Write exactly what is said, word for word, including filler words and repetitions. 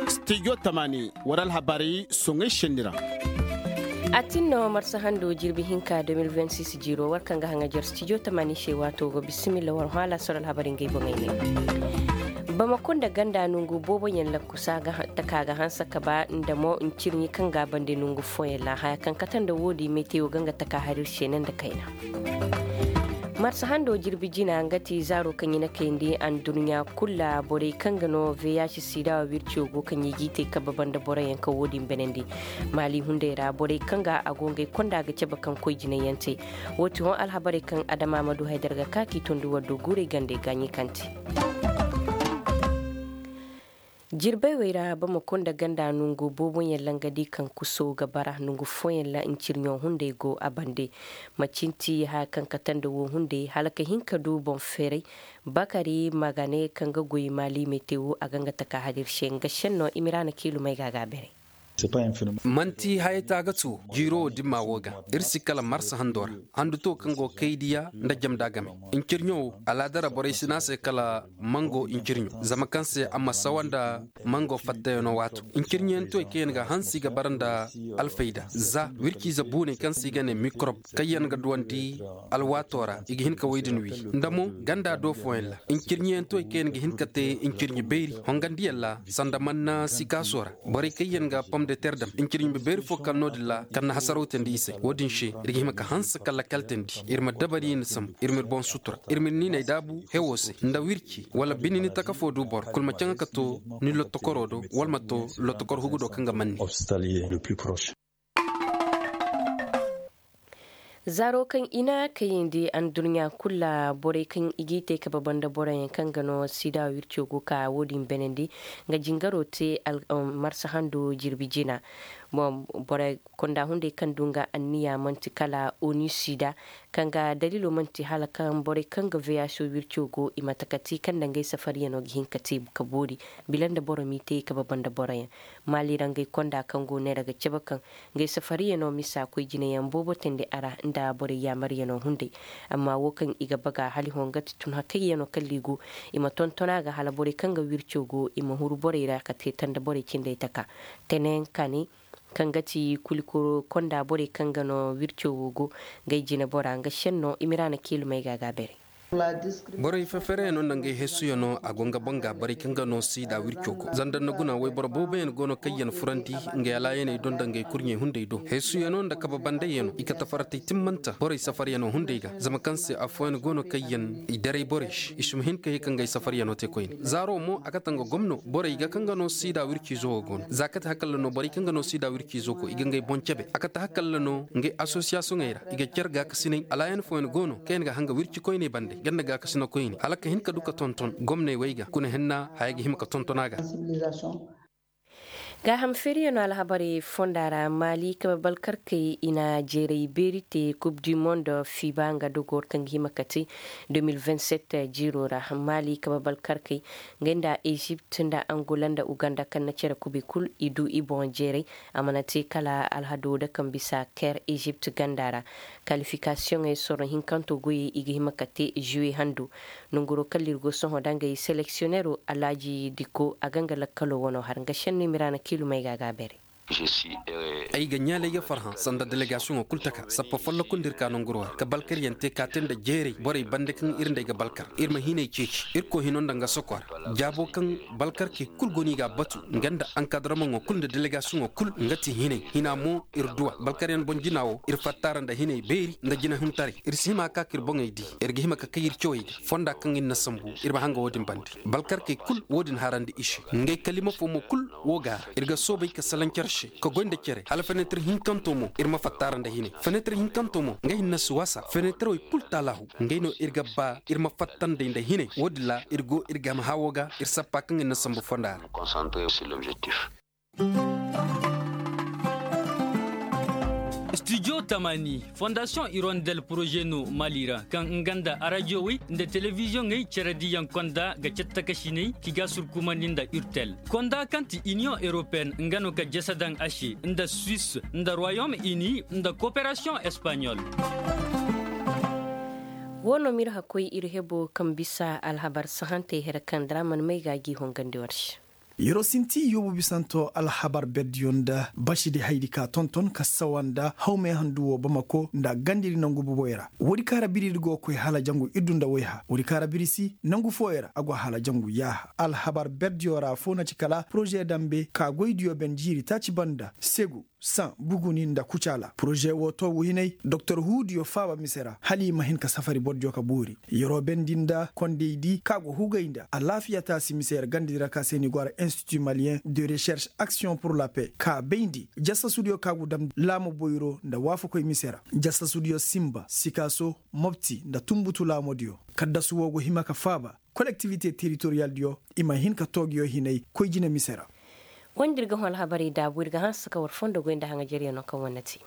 Studio tamani, war alhabarey soŋay senni ra. A tin no marsa hando jirbi hinka deux mille vingt-six jiro war kaŋ ga haŋajar studio tamani se waato go bisimilla war hwa laasar alhabarey ngey boŋey ne. Bamako nda ganda nongu boobo yaŋ lakkusa taka ga hanse ka ba nda mo ncirɲi kaŋ ga a bande nongu fooyaŋ ra haya kaŋ kate nda wo- din metewo ga nga taka hari iri se ne nda kayna. Marsa hando jirbi jina nga ti zaaro kaŋ i na kayandi andurɲa kulu ra borey kaŋ ga no vih sida wirco go kaŋ i g'i te kabe banda boroyaŋ kaŋ wo- din banandi. Maali hunday ra borey kaŋ ga a go ngey konda ga cabe kaŋ koy jinay yaŋ te. Wo- ti hõ alhabarey kaŋ adama ma du haydar ga ka k'i tondi war do guurey gande gaaɲi kaŋ te. Jirbey wey ra bamako nda ganda nongu boobo yaŋ ra nga di kaŋ kuso ga bara nongu fooyaŋ ra ncirɲo hunday go a bande. Macinti haya kaŋ kate nda wo hunday hala ka hin ka du boŋ feeray. Bakari magane kaŋ ga goy maali metewo a ga nga taka hari iri se nga senno imiraana kiilumey ga a ga a beeray. Manti hayey taagatu jiiro wo dimma wo ga iri si kala marsa hando ra. Handu to kaŋ go kaydiya nda jamda game. Ncirɲo wo alaada ra borey si ne a se kala mango ncirɲo zama kaŋ se a ma sawa nda mango fattayaŋo waato. Ncirɲiyaŋ toy kaŋ yaŋ ga hanse i ga bara nda alfayda za wirciize buuney kaŋ se i ga ne mikorob kaŋ yaŋ ga duwandi alwaato ra i ga hin ka wo- din wi. Nda mo ganda do fooyaŋ ra ncirɲiyaŋ toy kaŋ yaŋ ga hin ka te ncirɲi beeri hongandiyaŋ ra sanda manna sikaaso ra. Borey kaŋ yaŋ ga pom de ter dam ncirɲi beeri fo kala no- din ra kaŋ na hasaraw teendi i se wo- din se iri ga hima ka hanse kala kala teendi iri ma dabari iri na sambu iri ma iri boŋ sutura iri ma iri niiney daabu hewo se nda wirci wala bine ni taka fo du boro kulu ma caŋa ka to ni lotokoro do wala ma to lotokor hugu do kaŋ ga manne. Zaaro kaŋ i na kayandi andurɲa kulu ra borey kaŋ i g'i te kabe banda boroyaŋ kaŋ ga no sida wirco go ka wo- din beenandi nga jingaro te marsa hando jirbi jina. Borey konda hunday kaŋ du nga anniya manti kala oni sida kaŋ ga daliilo manti hala kaŋ borey kaŋ ga veyaso wirco go i mate ka te kaŋ nda ngey safariyaŋo ga hin ka te ka boori bila nda boro m'i te kabe banda boroyaŋ. Maali ra ngey konda kaŋ go neera ga cabe kaŋ ngey safariyaŋo misa koy jinayaŋ boobo teendi a ra nda borey yaamaryaŋo hunday. Amma wo kaŋ i ga baga hala i hõ nga ti tun hakayyaŋo kala i go i ma tonton a ga hala borey kaŋ ga wirco go i ma huru borey ra ka te tanda borey cindey taka. Tenen kane kaŋ ga ti kulikoro konda borey kaŋ ga no wirco wo go ngey jine bora nga senno imiraana kiilumey ga a ga beeray. Borey fefereyaŋo nda ngey heesuyaŋo a go nga boŋ ga borey kaŋ ga no siida wirco go zanda nda guna wayboro booboyaŋ go no kaŋ yaŋ furandi ngey alaayaney do nda ngey kurɲey hunday do heesuyaŋo nda kabe bandayyaŋo i kate faratey timmanta borey safaryaŋo hunday ga zama kaŋ se afooyaŋ go no kaŋ yaŋ i daray borey se i si ma hin ka ye ka ngey safaryaŋo te koyne zaaro mo a kate nga gomno borey ga kaŋ ga no siida wirciizo wo go no za kate hakalla no borey kaŋ ga no siida wirciizo koy i ga ngey boŋ cabe a kate hakalla no ngey asosiyasiyoŋey ra i ga care gaakasiney alaayan fooyaŋ go no kaŋ yaŋ ga hanga wirci koyney bande ganda gaakasina koyne hala ka hin ka du ka tonton gomney wey ga kuna henna haya ga hima ka tonton a ga. Gaaham feeriyaŋo alhabarey fonda ra maali kabe balkarkey i na jeeray beeri te kub du mondo fiba nga dogo kaŋ ga hima ka te deux mille vingt-sept jiiro ra maali kabe balkarkey ngey nda ezipt nda angola nda uganda kaŋ na care kubay kulu i du i boŋ jeeray. A mana te kala alhado da kaŋ bisa ker ezipt ganda ra kalifikasiyoŋey sorro hinkanto goyey i ga hima ka te juwe hando. Nanguro kala iri go sohõ da ngey seleksiyonero alaaji diko a ga nga lakkalo wano har nga senno i ma iri a na kiilumey ga a ga a beeray. Ay ga ɲaalay ga farhã sanda delegasiyoŋo kulu taka sappa folloku nda iri ka nanguro ra ka balkaryaŋ te ka te nda jeeray borey bande kaŋ iri nd'ey ga balkar iri ma hinay ceeci irkoy hino nda nga soko ra. Jaabo kaŋ balkarkey kulu go no i g'a batu nga nda ankadaramoŋo kulu nda delegasiyoŋo kulu nga ti hinay hina mo iri duw'a balkaryaŋ boŋ jina wo iri fatta ra nda hinay beeri nda jinahuntaray iri si hima ka ka iri boŋey di. Iri ga hima ka kay iri cawey ga fonda kaŋ iri na sambu iri ma hanga wo-din bande balkarkey kulu wo-din harandi i se ngey kalima fo mo kulu wo ga ra iri ga soobay ka salaŋ care se ka goy nda care hala fenetir hinkanto mo iri ma fatta ra nda hinay fenetir hinkanto mo nga hinne si wasa fenetirey kulu taalahu ngey no iri ga ba iri ma fatta nd'ey nda hinay wo-din ra iri go iri game hawo ga iri sappa kaŋ iri na sambu fonda ra. Studio tamani fondasiyoŋ irondel poroze no mali ra kaŋ nga nda arajiyowey nda telebiziyoŋey care diyaŋ konda ga cattakasiney ki ga surkumandi nda urtel konda kaŋ ti iniyoŋ europeyenne nga no ka jasa daŋ a se nda suisse nda royaume uni nda koperasiyoŋ espaɲol. Wo no m'iri hakkoy iri hebo kaŋ bisa alhabar sahantey here kaŋ dira mana may ga a g'i hongandi war se. Yer'o sinti yoobu bisanto alhabar berdiyo nda basidi haydi ka tonton ka sawa nda hawmey handu wo bamako nda gandiri nangu buboy ra. Woodi kaŋ ra biriri go ga koy hala jangu iddu nda wayha, woodi kaŋ ra biri si nangu fooyaŋ ra a go hala jangu yaaha. Alhabar berdiyo ra fo na ci kala poroze dambe ka goydiyo ben jiiri taaci banda segu, saŋ, buguni nda kucaala poroze wo toobu hinay doktor huudiyo faaba mise ra hala i ma hin ka safari bordiyo ka boori. Yer'o bendi nda kondey di kaŋ a go hugay nda alaafiya taasi mise ra ganda di ra ka se ni go a ra institut malien de recherche action pour la paix ka bayndi jasasudiyo kaŋ a go dam laamo boyro nda waafakoy mise ra. Jasasudiyo simba sikaaso, mopti nda tumbutu laamodiyo. Kaddasu wo go hima ka faaba kolektivite teritoriyaldiyo i ma hin ka toogiyo hinay koy jine mise ra. Wanda iri ga hõ alhabarey daabu iri ga hanse ka war fondo goy nda haŋajeryaŋo kaŋ wane te.